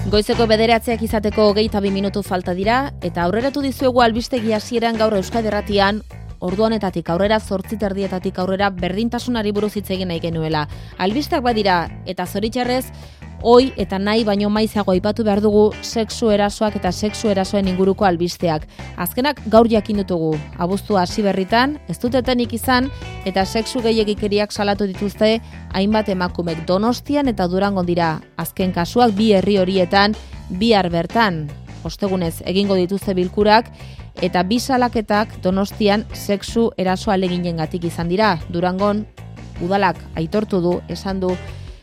Goizeko 9:00 izateko 22 minutu falta dira, eta aurreratu dizuegu albistegi hasieran gaur Euskadi Irratian, ordu honetatik aurrera 8:30 aurrera berdintasunari buruz hitz egin nahi genuela. Albisteak badira, eta zoritxarrez, oi eta nahi baino maizago aipatu behar dugu sexu erasoak eta sexu erasoen inguruko albisteak. Azkenak gaur jakin dutugu, abuztua hasi berritan, ez dutetenik izan, eta sexu gehiegikeriak salatu dituzte hainbat emakumek Donostian eta Durangon dira. Azken kasuak bi herri horietan, bihar bertan, ostegunez egingo dituzte bilkurak, eta bi salaketak Donostian sexu eraso aleginengatik izan dira. Durangon udalak aitortu du, esan du,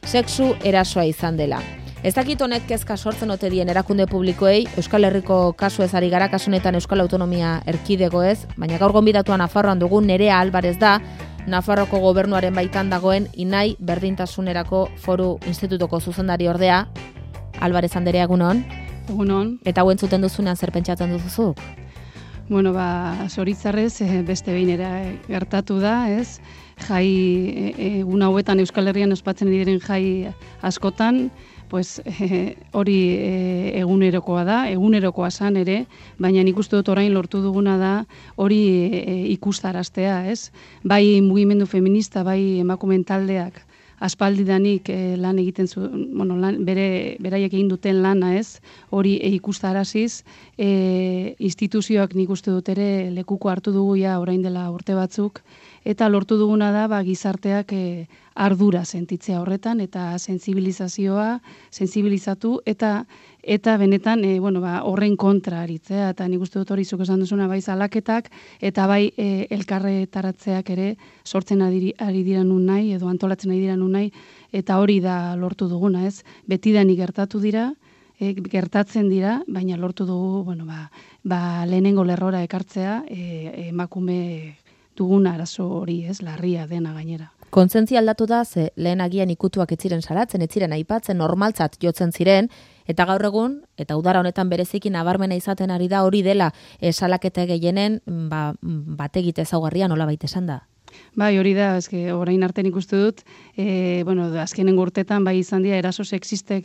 sexu erasoa izan dela. Ez dakit honek kezka sortzen ote dien erakunde publikoei, Euskal Herriko kasu ez ari gara, kasu honetan Euskal Autonomia Erkidegoez, baina gaur gonbidatua Nafarroan dugu Nerea Alvarez da, Nafarroko gobernuaren baitan dagoen Inai Berdintasunerako Foru Institutuko zuzendari ordea. Alvarez anderea, egunon? Egunon. Eta hau entzuten duzunean zer pentsatzen duzuzuk? Bueno, zoritzarrez beste behin ere gertatu da, ez? Jai, egun hauetan Euskal Herrian ospatzen diren jai askotan, pues hori egunerokoa da, egunerokoa zan ere, baina nik uste dut orain lortu duguna da hori ikustaraztea, ez? Bai mugimendu feminista, bai emakumeen taldeak aspaldidanik lan egiten beraiek egin duten lana, ez? Hori ikustaraziz, instituzioak nik uste dut ere lekuko hartu dugu ja orain dela urte batzuk, eta lortu duguna da gizarteak ardura sentitzea horretan, eta sensibilizatu, eta benetan horren kontra aritzea, eta nik uste dut hori zuk esan duzuna bai zalaketak, eta bai elkarretaratzeak ere sortzen ari dira nun nahi, edo antolatzen ari dira nun nahi, eta hori da lortu duguna, ez? Betidanik gertatu dira, gertatzen dira, baina lortu dugu, lehenengo lerrora ekartzea, emakume dugun arazo hori, ez, larria dena gainera. Kontzientzia aldatu da, ze lehen agian ikutuak ez ziren salatzen, ez ziren aipatzen, normaltzat jotzen ziren, eta gaur egun, eta udara honetan bereziki nabarmena izaten ari da hori dela salaketa gehienen bategite ezaugarria nolabait esan da. Bai, hori da, orain artean ikustu dut, azkenen urtetan bai izan dira eraso sexistek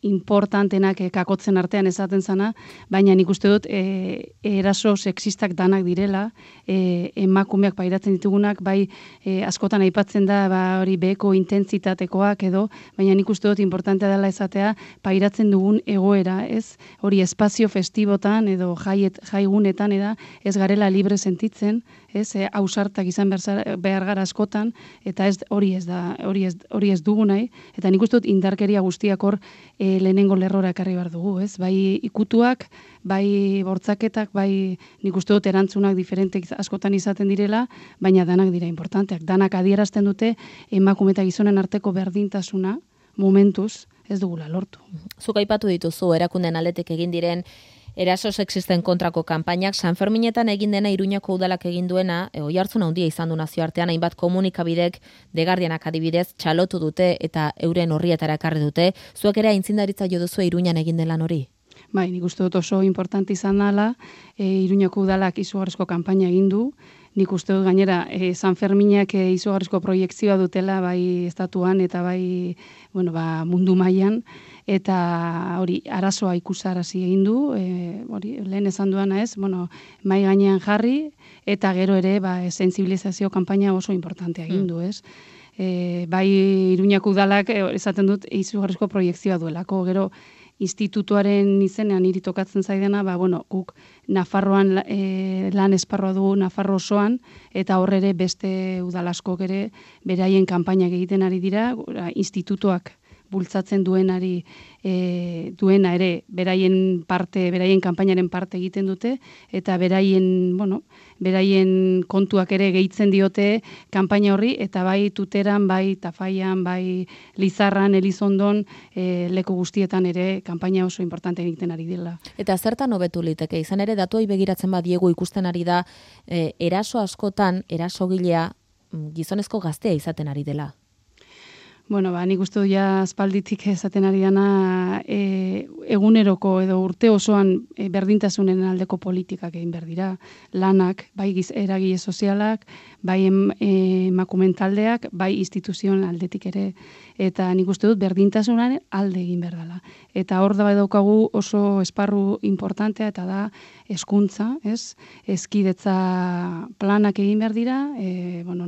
importantenak kakotzen artean esaten zana, baina nik uste dut eraso sexistak danak direla, emakumeak pairatzen ditugunak, bai askotan aipatzen da hori beheko intentsitatekoak edo, baina nik uste dut importantea dela esatea pairatzen dugun egoera, ez? Hori espazio festibotan edo jaigunetan ez garela libre sentitzen, ez, ausartak izan behar gara askotan, eta hori ez dugu nahi, eta nik uste dut indarkeria guztiak hor lehenengo lerrora ekarri behar dugu, ez? Bai ikutuak, bai bortzaketak, bai nik uste dut erantzunak diferentek askotan izaten direla, baina danak dira importanteak. Danak adierazten dute emakume eta gizonen arteko berdintasuna momentuz ez dugula lortu. Zuk aipatu dituzu erakunden aldetik egin diren eraso sexisten kontrako kanpainak, San Ferminetan egin dena Iruñako udalak egin duena, oihartzun handia izan du nazioartean, hainbat komunikabidek, The Guardianak adibidez, txalotu dute eta euren horrietara ekarri dute. Zuek ere aintzindaritza jo duzu Iruñan egin den lan hori? Bai, nik uste dut oso importante izan dela, Iruñako udalak izugarrizko kanpaina egin du, nik uste dut gainera San Ferminak izugarrizko proiektzioa dutela bai estatuan eta bai mundu mailan, eta hori arazoa ikusarazi egin du, lehen esan duana ez, mai gainean jarri, eta gero ere sensibilizazio kanpaina oso importantea egin du, ez? Bai Iruñako udalak esaten dut izugarrizko proiektzioa duelako, gero institutuaren izenean niri tokatzen zaidana, guk Nafarroan lan esparroa dugu Nafarro osoan, eta horre ere beste udal askok ere beraien kanpainak egiten ari dira, institutuak bultzatzen duena ere beraien kanpainaren parte egiten dute, eta beraien kontuak ere gehitzen diote kanpaina horri, eta bai Tuteran, bai Tafaian, bai Lizarran, Elizondon, leku guztietan ere kanpaina oso importante egiten ari dela. Eta zertan hobetu liteke, izan ere datuei begiratzen badiegu ikusten ari da, eraso askotan, erasogilea gizonezko gaztea izaten ari dela. Nik uste dut aspalditik esaten ari dana eguneroko edo urte osoan berdintasunen aldeko politikak egin behar dira. Lanak, bai eragile sozialak, bai emakumeen taldeak, bai instituzioen aldetik ere, eta nik uste dut berdintasunaren alde egin behar dela. Eta hor da daukagu oso esparru importantea, eta da hezkuntza, ez? Hezkidetza planak egin behar dira,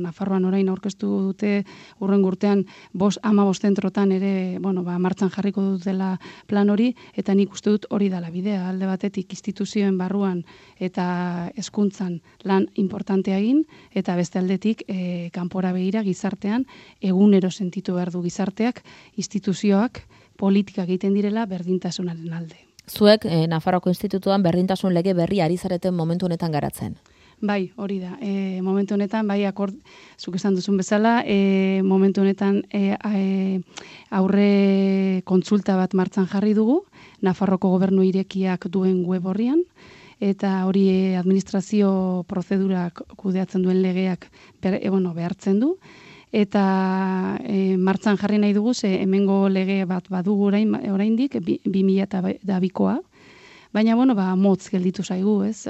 Nafarroan orain aurkeztu dute hurrengo urtean 15 zentrotan ere, martxan jarriko dutela plan hori, eta nik uste dut hori dela bidea, alde batetik instituzioen barruan eta hezkuntzan lan importantea egin, eta beste aldetik kanpora begira gizartean egunero sentitu behar du gizarteak, instituzioak, politikak egiten direla berdintasunaren alde. Zuek, Nafarroako Institutuan berdintasun lege berri ari zareten momentu honetan garatzen. Bai, hori da. Momentu honetan, bai, zuk esan duzun bezala, momentu honetan aurre kontsulta bat martxan jarri dugu, Nafarroko gobernu irekiak duen web horrian, eta hori administrazio prozedurak kudeatzen duen legeak behartzen du, eta martxan jarri nahi dugu, hemengo lege bat badugu oraindik 2002koa, baina, motz gelditu zaigu, ez?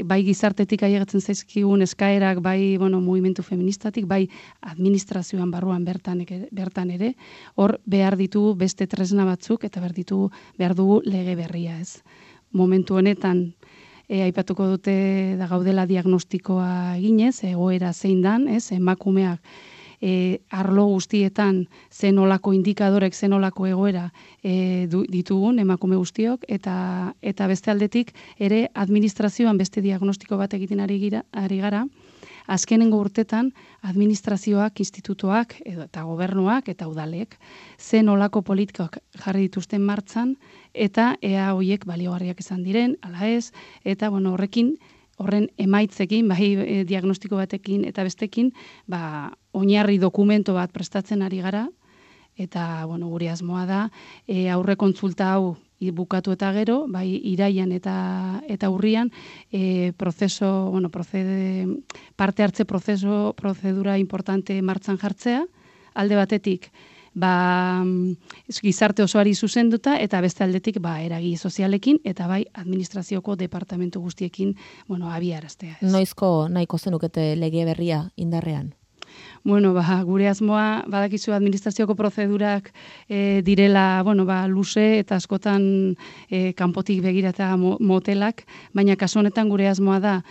Bai gizartetik ailegatzen zaizkigun eskaerak, bai, mugimendu feministatik, bai administrazioan barruan bertan ere, hor behar ditugu beste tresna batzuk, eta behar dugu lege berria, ez? Momentu honetan, aipatuko dute da gaudela diagnostikoa eginez, egoera zein dan, ez? Emakumeak arlo guztietan zenolako indikadorek, zenolako egoera ditugun emakume guztiok, eta beste aldetik ere administrazioan beste diagnostiko bat egiten ari gara, azkenengo urtetan administrazioak, institutoak eta gobernuak eta udalek zenolako politikak jarri dituzten martxan, eta ea horiek baliogarriak izan diren, ala ez, eta horren emaitzekin, bai diagnostiko batekin eta bestekin, oinarri dokumento bat prestatzen ari gara, eta gure asmoa da, aurre kontsulta hau bukatu eta gero, bai iraian eta urrian, parte hartze prozedura importante martxan jartzea, alde batetik, gizarte osoari zuzenduta, eta beste aldetik eragile sozialekin, eta bai administrazioko departamentu guztiekin abiaraztea. Noizko nahiko zenukete lege berria indarrean? Gure asmoa, badakizu administrazioko prozedurak direla, luze eta askotan kanpotik begira eta motelak, baina kasu honetan gure asmoa da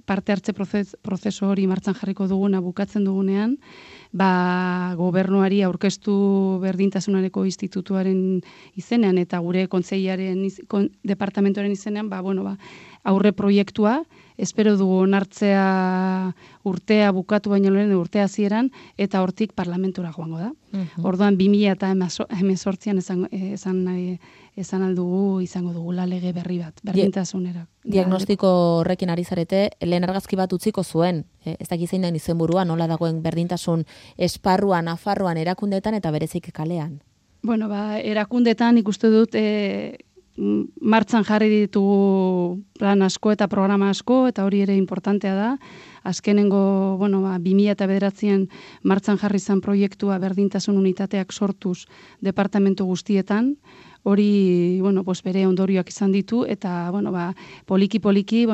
parte hartze prozesu hori martxan jarriko duguna bukatzen dugunean, gobernuari aurkeztu berdintasunareko institutuaren izenean eta gure kontseilaren departamentoren izenean, aurre proiektua, espero dugu onartzea urtea bukatu baino lehen urtea hasieran, eta hortik parlamentura joango da. Orduan 2018an esan aldugu izango dugula lege berri bat, berdintasunera. Diagnostiko horrekin ari zarete, lehen argazki bat utziko zuen, ez dakit zein den izenburua, nola dagoen berdintasun esparruan, Nafarroan, erakundeetan eta berezik kalean? Erakundeetan ikuste dut martxan jarri ditugu plan asko eta programa asko, eta hori ere importantea da. Azkenengo, 2009an martxan jarri zen proiektua berdintasun unitateak sortuz departamentu guztietan, hori, bere ondorioak izan ditu, eta, poliki-poliki,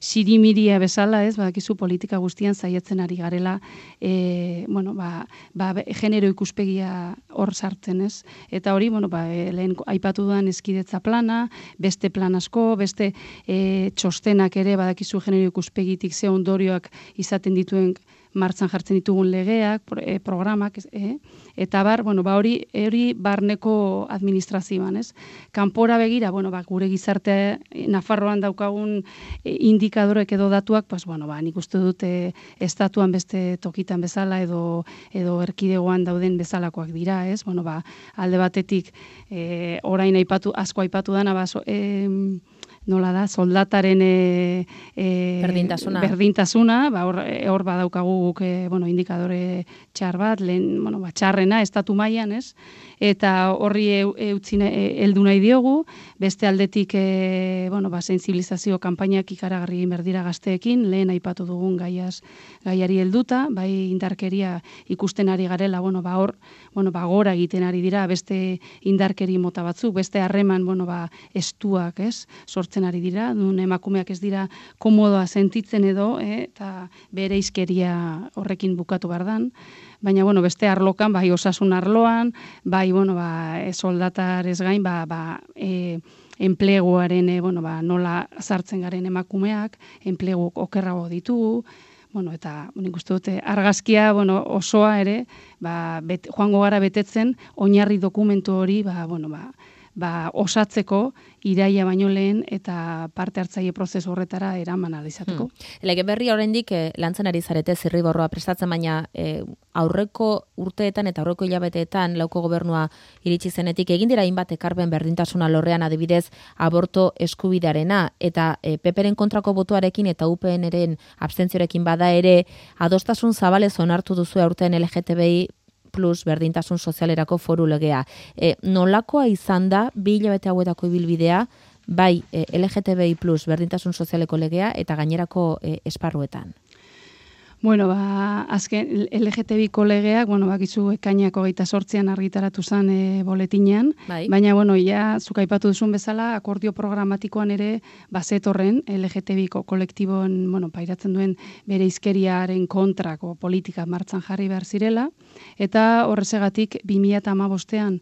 sirimiria bezala, ez, badakizu politika guztian saiatzen ari garela, genero ikuspegia hor sartzen, ez, eta hori, lehen aipatu dudan hezkidetza plana, beste plan asko, beste txostenak ere, badakizu genero ikuspegitik ze ondorioak izaten dituen martxan jartzen ditugun legeak, programak, eta hori barneko administrazioan, ez? Kanpora begira, gure gizarte Nafarroan daukagun indikadorek edo datuak, nik uste dut estatuan beste tokitan bezala edo erkidegoan dauden bezalakoak dira, ez? Alde batetik, orain asko aipatu dana, nola da, soldataren berdintasuna, hor badaukagu guk indikadore txar bat, txarrena, estatu mailan, ez? Eta horri heldu nahi diogu, beste aldetik sensibilizazio kanpainak ikaragarri berdira gazteekin, lehen aipatu dugun gaiari helduta, bai indarkeria ikusten ari garela, hor gora egiten ari dira, beste indarkeri mota batzuk, beste harreman estuak, ez? Sortzen sortzen ari dira, nun emakumeak ez dira komodoa sentitzen edo, eta bere izkeria horrekin bukatu bardan. Baina, bueno, beste arlokan, bai osasun arloan, bai, bueno, soldatarez gain, enpleguaren, nola sartzen garen emakumeak, enplegu okerrago ditugu, bueno, eta nik uste dut argazkia, osoa ere, joango gara betetzen, oinarri dokumentu hori, osatzeko iraia baino lehen eta parte hartzaile prozesu horretara eraman ahal izateko. Lege berri oraindik lantzen ari zarete zirriborroa prestatzen, baina aurreko urteetan eta aurreko hilabeteetan lauko gobernua iritsi zenetik egin dira hainbat ekarpen berdintasuna lorrean, adibidez aborto eskubidearena, eta PPren kontrako botoarekin eta UPNren abstentziorekin bada ere adostasun zabalez onartu duzu aurten LGTBI plus berdintasun sozialerako foru legea. Nolakoa izan da, 2 hilabete hauetako ibilbidea, bai LGTBI plus berdintasun sozialeko legea eta gainerako esparruetan? Bueno, azken LGTBiko legeak, bakizu ekainako 28an argitaratu zen boletinean, baina, zuk aipatu duzun bezala, akordio programatikoan ere bazetorren LGTBiko kolektiboen, pairatzen duen bere izkeriaren kontrako politika martxan jarri behar zirela, eta horrezegatik 2015an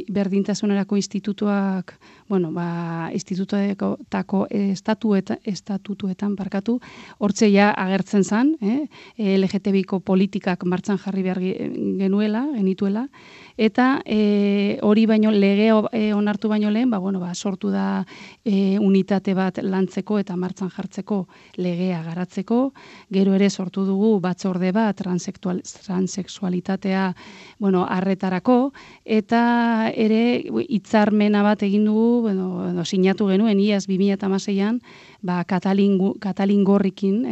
berdintasunerako institutuak, institutuetako estatutuetan hortze ja agertzen zen, LGTBiko politikak martxan jarri behar genituela, eta hori baino lege onartu baino lehen, sortu da unitate bat lantzeko eta martxan jartzeko legea garatzeko, gero ere sortu dugu batzorde bat transexualitatea arretarako, eta ere hitzarmena bat egin dugu, sinatu genuen iaz 2016an, Katalin Gorrikin,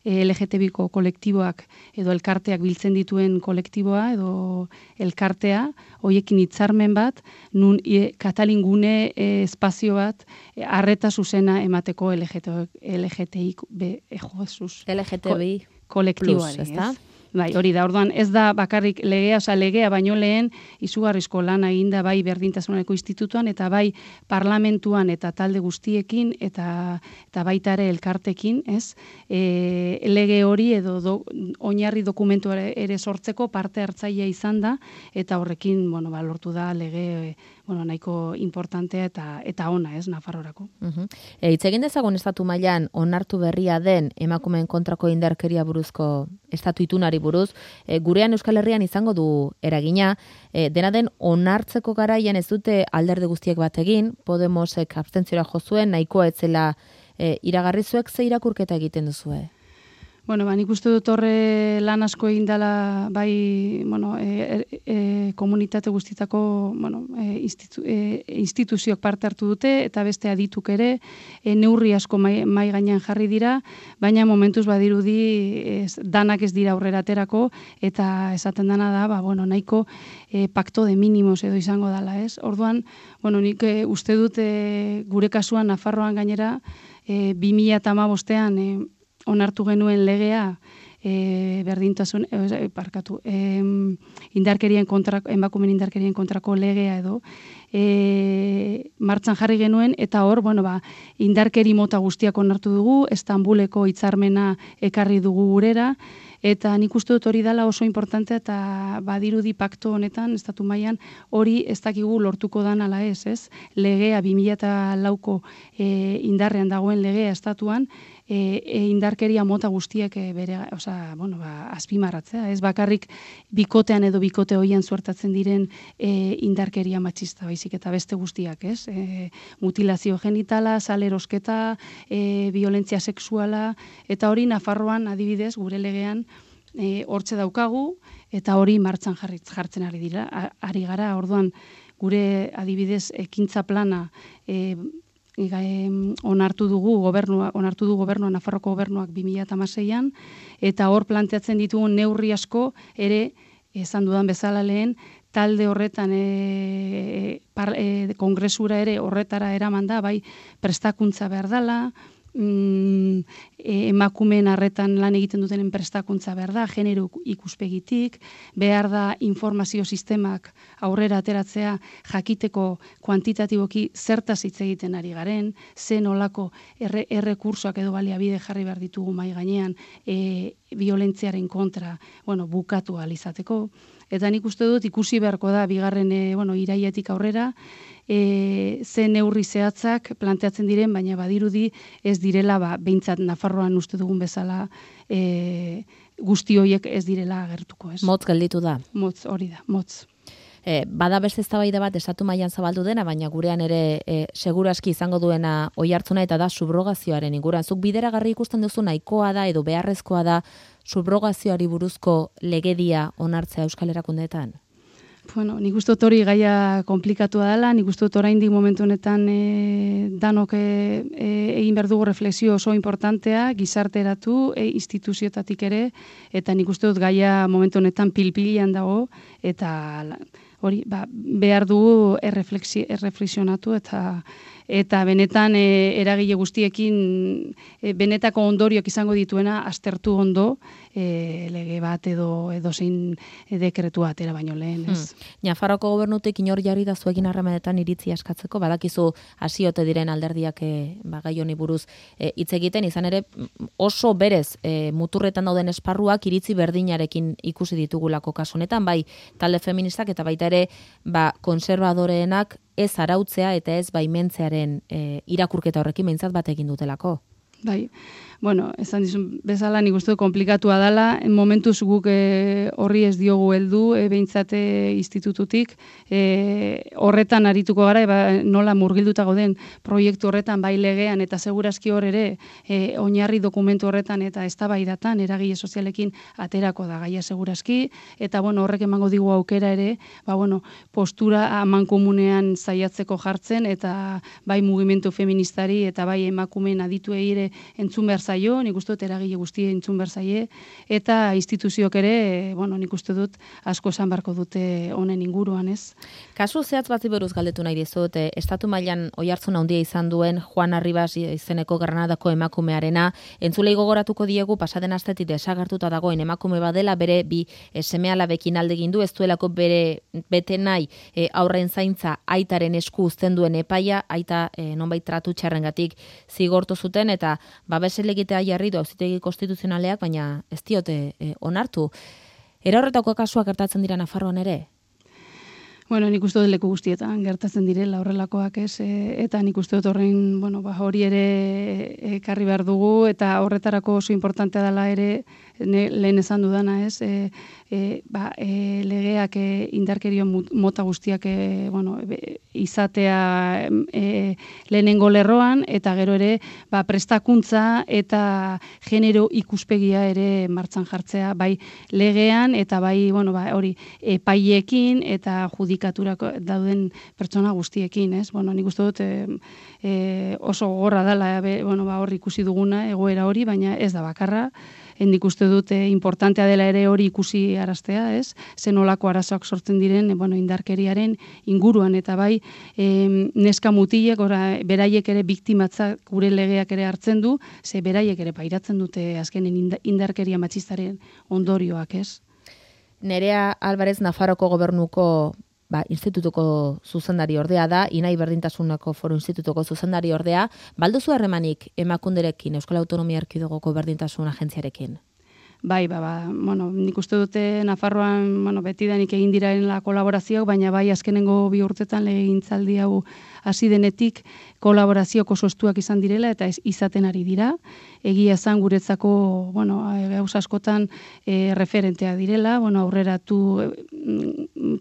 LGTBiko kolektiboak edo elkarteak biltzen dituen kolektiboa edo elkartea, hoiekin hitzarmen bat, nun Katalin gune espazio bat arreta zuzena emateko LGTBI kolektiboari, ez? Bai, hori da, orduan ez da bakarrik legea baino lehen izugarrizko lana eginda bai berdintasuneko institutuan eta bai parlamentuan eta talde guztiekin eta baita ere elkartekin, ez? Lege hori edo oinarri dokumentu ere sortzeko parte hartzailea izan da eta horrekin, lortu da lege nahiko importantea eta ona, ez, Nafarroarako. Hitz egin dezagun estatu mailan onartu berria den emakumeen kontrako indarkeria buruzko estatu itunari buruz, gurean Euskal Herrian izango du eragina, dena den onartzeko garaian ez dute alderdi guztiek bat egin, Podemosek abstentziora jo zuen, nahikoa etzela iragarri zuek, ze irakurketa egiten duzue? Nik uste dut horre lan asko egin dela bai, komunitate guztietako, instituzioak parte hartu dute eta beste adituk ere, neurri asko mai gainean jarri dira, baina momentuz badirudi danak ez dira aurrera aterako eta esaten dana da, nahiko pacto de mínimos edo izango dela, ez? Orduan, nik uste dut gure kasuan Nafarroan gainera 2015an onartu genuen legea berdintasun, emakumeen indarkerien kontrako legea edo martxan jarri genuen, eta hor, indarkeri mota guztiak onartu dugu, Estambuleko hitzarmena ekarri dugu gurera, eta nik uste dut hori dela oso importantea eta badirudi pakto honetan, estatu mailan hori ez dakigu lortuko dan ala ez? Legea 2004ko indarrean dagoen legea estatuan, indarkeria mota guztiek azpimarratzea, ez bakarrik bikotean edo bikote hoian suertatzen diren indarkeria matxista baizik eta beste guztiak, ez? Mutilazio genitala, salerosketa, violentzia sexuala, eta hori Nafarroan adibidez gure legean hortze daukagu, eta hori martxan jartzen ari gara, orduan gure adibidez ekintza plana onartu du gobernua Nafarroko gobernuak 2016an, eta hor planteatzen ditugun neurri asko ere, esan dudan bezala lehen, talde horretan kongresura ere horretara eraman da, bai prestakuntza behar dela, emakumeen arretan lan egiten dutenen prestakuntza behar da, genero ikuspegitik, behar da informazio sistemak aurrera ateratzea jakiteko kuantitatiboki zertaz hitz egiten ari garen, zen olako errekursoak edo baliabide jarri behar ditugu mai gainean violentziaren kontra, bukatu ahal izateko. Eta nik uste dut ikusi beharko da bigarren irailetik aurrera, ze neurri zehatzak planteatzen diren, baina badirudi ez direla, behintzat Nafarroan uste dugun bezala, guzti horiek ez direla agertuko, ez? Motz gelditu da. Motz, hori da, motz. Bada beste eztabaida bat estatu mailan zabaldu dena, baina gurean ere segurazki izango duena oihartzuna eta da subrogazioaren inguruan. Zuk bideragarri ikusten duzu nahikoa da edo beharrezkoa da subrogazioari buruzko legedia onartzea Euskal Erakundeetan? Nik uste dut hori gaia komplikatua dela, nik uste dut oraindik momentu honetan danok egin behar dugu refleksio oso importantea, gizarteratu, instituzioetatik ere, eta nik uste dut gaia momentu honetan pilpilian dago, eta hori, behar dugu erreflexionatu eta benetan eragile guztiekin benetako ondorioak izango dituena aztertu ondo lege bat edo zein dekretua atera baino lehen, ez? Nafarroako gobernutik inor jarri da zuekin harremanetan iritzi askatzeko, badakizu hasiote diren alderdiak gai honi buruz hitz egiten, izan ere oso berez muturretan dauden esparruak iritzi berdinarekin ikusi ditugulako kasu honetan, bai talde feministak eta baita ere konservadoreenak ez arautzea eta ez baimentzearen irakurketa horrekin behintzat bat egin dutelako. Bai, esan dizun bezala nik uste komplikatua dela, momentuz guk horri ez diogu heldu, behintzat institututik, horretan arituko gara, nola murgilduta gauden proiektu horretan, bai legean, eta segurazki hor ere, oinarri dokumentu horretan eta eztabaidatan eragile sozialekin aterako da gaia segurazki, eta horrek emango digu aukera ere, postura amankomunean zaiatzeko jartzen, eta bai mugimendu feministari, eta bai emakumeen adituei ere entzun behar zaio, nik uste dut eragile guztie entzun behar zaie, eta instituziok ere, nik uste dut asko esan beharko dute honen inguruan, ez? Kasu zehatz bat buruz galdetu nahi dizut, estatu mailan oihartzun handia izan duen Juan Arribas izeneko Granadako emakumearena, entzulei gogoratuko diegu pasaden astetik desagertuta dagoen emakume badela, bere bi seme-alabekin alde egin du, ez duelako bete nahi aurren zaintza aitaren esku uzten duen epaia, aita nonbait tratu txarrengatik zigortu zuten, eta babes elegitea jarri du auzitegi konstituzionaleak, baina ez diote onartu. Era horretako kasuak gertatzen dira Nafarroan ere? Nik uste dut leku guztietan gertatzen direla horrelakoak, ez? Eta nik uste dut horren, hori ere ekarri behar dugu, eta horretarako oso importantea dela ere, lehen esan dudana, ez? Legeak indarkerio mota guztiak izatea lehenengo lerroan, eta gero ere prestakuntza eta genero ikuspegia ere martxan jartzea, bai legean, eta bai hori epaiekin eta judikaturako dauden pertsona guztiekin, ez? Nik uste dut oso gogorra dela hor ikusi duguna egoera hori, baina ez da bakarra. Nik uste dut importantea dela ere hori ikusi araztea, ez? Zen olako arazoak sortzen diren indarkeriaren inguruan, eta bai neska mutilek, beraiek ere biktimatzak gure legeak ere hartzen du, ze beraiek ere pairatzen dute azkenen indarkeria matxistaren ondorioak, ez? Nerea Alvarez Nafarroko gobernuko institutuko zuzendari ordea da, Inai Berdintasuneko Foru Institutuko zuzendari ordea, balduzu harremanik emakunderekin, Euskal Autonomia Erkidegoko Berdintasun Agentziarekin? Bai, nik uste dute Nafarroan, betidanik egin diraren la kolaborazioak, baina bai azkenengo 2 urtetan legegintzaldi hau hasi denetik kolaborazio oso estuak izan direla eta izaten ari dira. Egia esan guretzako, gauza askotan referentea direla, aurreratu,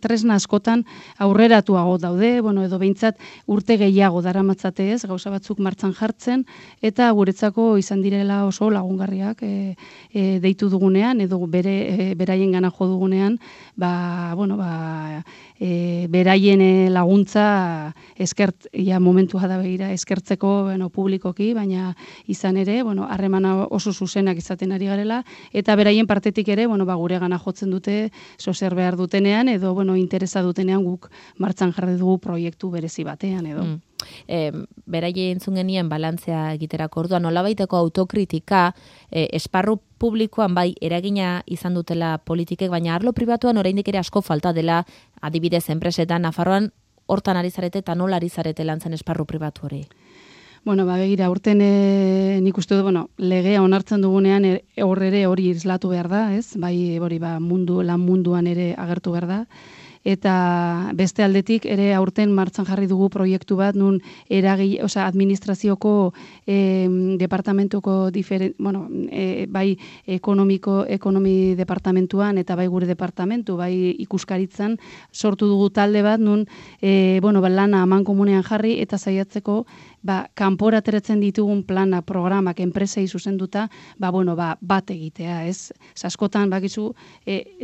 tresna askotan aurreratuago daude, edo behintzat urte gehiago daramatzate ez, gauza batzuk martxan jartzen, eta guretzako izan direla oso lagungarriak deitu dugunean, edo beraien gana jo dugunean, beraien laguntza momentua da begira eskertzeko publikoki, baina izan ere, harremana oso zuzenak izaten ari garela, eta beraien partetik ere, gure gana jotzen dute, zer behar dutenean, edo interesa dutenean guk martxan jarri dugu proiektu berezi batean, edo. beraie entzun genien balantzea egiterako orduan, nolabaiteko autokritika, esparru publikoan bai eragina izan dutela politikek, baina arlo pribatuan oraindik ere asko falta dela, adibidez enpresetan, Nafarroan hortan ari zarete eta nola ari zarete lantzen esparru pribatu hori? Bueno, begira, urten nik uste dut, legea onartzen dugunean hori islatu behar da, ez? Bai, lan munduan ere agertu behar da. Eta beste aldetik ere aurten martxan jarri dugu proiektu bat, nun administrazioko departamentuko bai ekonomi departamentuan eta bai gure departamentu, bai ikuskaritzan sortu dugu talde bat, nun lana amankomunean jarri eta saiatzeko kanpora ateratzen ditugun plana, programak, enpresei zuzenduta, bat egitea, ez? Askotan, bakizu,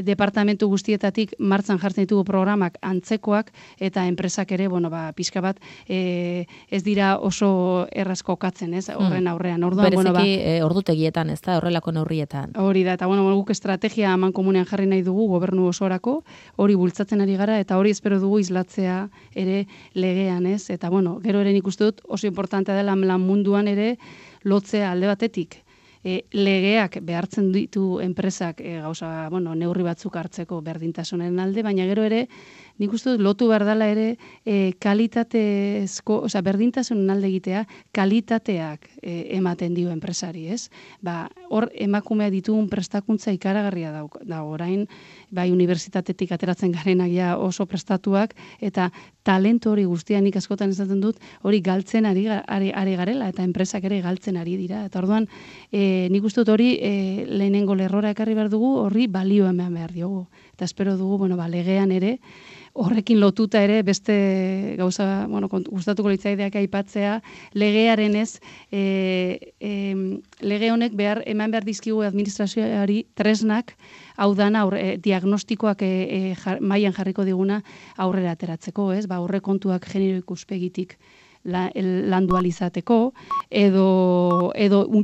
departamentu guztietatik martxan jartzen ditugu programak antzekoak, eta enpresak ere, pixka bat, ez dira oso errazko katzen, ez? Horren aurrean. Bereziki, ordutegietan, ez da, horrelako neurrietan. Hori da, eta guk estrategia amankomunean jarri nahi dugu, gobernu osorako, hori bultzatzen ari gara, eta hori espero dugu islatzea ere legean, ez? Eta, gero ere nik uste dut, oso importantea dela lan munduan ere lotzea alde batetik. Legeak behartzen ditu enpresak neurri batzuk hartzeko berdintasunaren alde, baina gero ere nik uste dut lotu behar dela ere kalitatezko, berdintasunen alde egitea, kalitateak ematen dio enpresari, ez? Hor emakumea ditugun prestakuntza ikaragarria da orain, bai unibertsitatetik ateratzen garenak ja oso prestatuak, eta talentu hori guztia nik askotan esaten dut, hori galtzen ari garela, eta enpresak ere galtzen ari dira. Eta orduan, nik uste dut hori lehenengo lerrora ekarri behar dugu, horri balio eman behar diogu. Eta espero dugu, legean ere, horrekin lotuta ere beste gauza, gustatuko litzaideak aipatzea, legearen ez, lege honek eman behar dizkigu administrazioari tresnak, hau dana diagnostikoak mailan jarriko diguna aurrera ateratzeko, ez? Aurrekontuak genero ikuspegitik landu alizateko, edo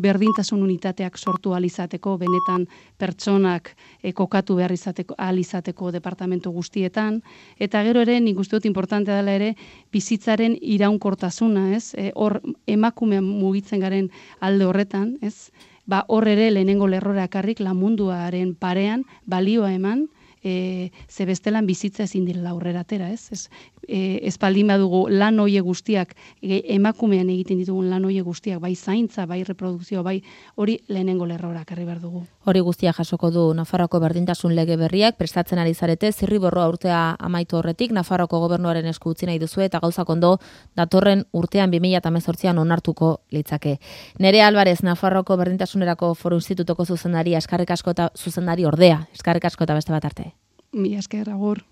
berdintasun unitateak sortu alizateko, benetan pertsonak kokatu behar alizateko departamentu guztietan, eta gero ere, nik uste dut importantea dela ere, bizitzaren iraunkortasuna, ez? Hor emakumean mugitzen garen alde horretan, ez? Hor ere lehenengo lerrora ekarrik lan munduaren parean balioa eman, ze bestelan bizitza ezin direla aurrera atera, ez? Ez baldin badugu lan hoie guztiak, emakumean egiten ditugun lan hoie guztiak, bai zaintza, bai reprodukzio, bai hori lehenengo lerrora ekarri behar dugu. Hori guztia jasoko du Nafarroako berdintasun lege berriak, prestatzen ari zarete, zirriborroa urtea amaitu horretik, Nafarroako gobernuaren esku utzi nahi duzu eta gauzak ondo datorren urtean 2018an onartuko litzake. Nerea Alvarez, Nafarroako berdintasunerako Foru Institutoko zuzendaria, eskerrik asko eta zuzendari ordea, eskerrik asko eta beste bat arte. Mila esker, agur.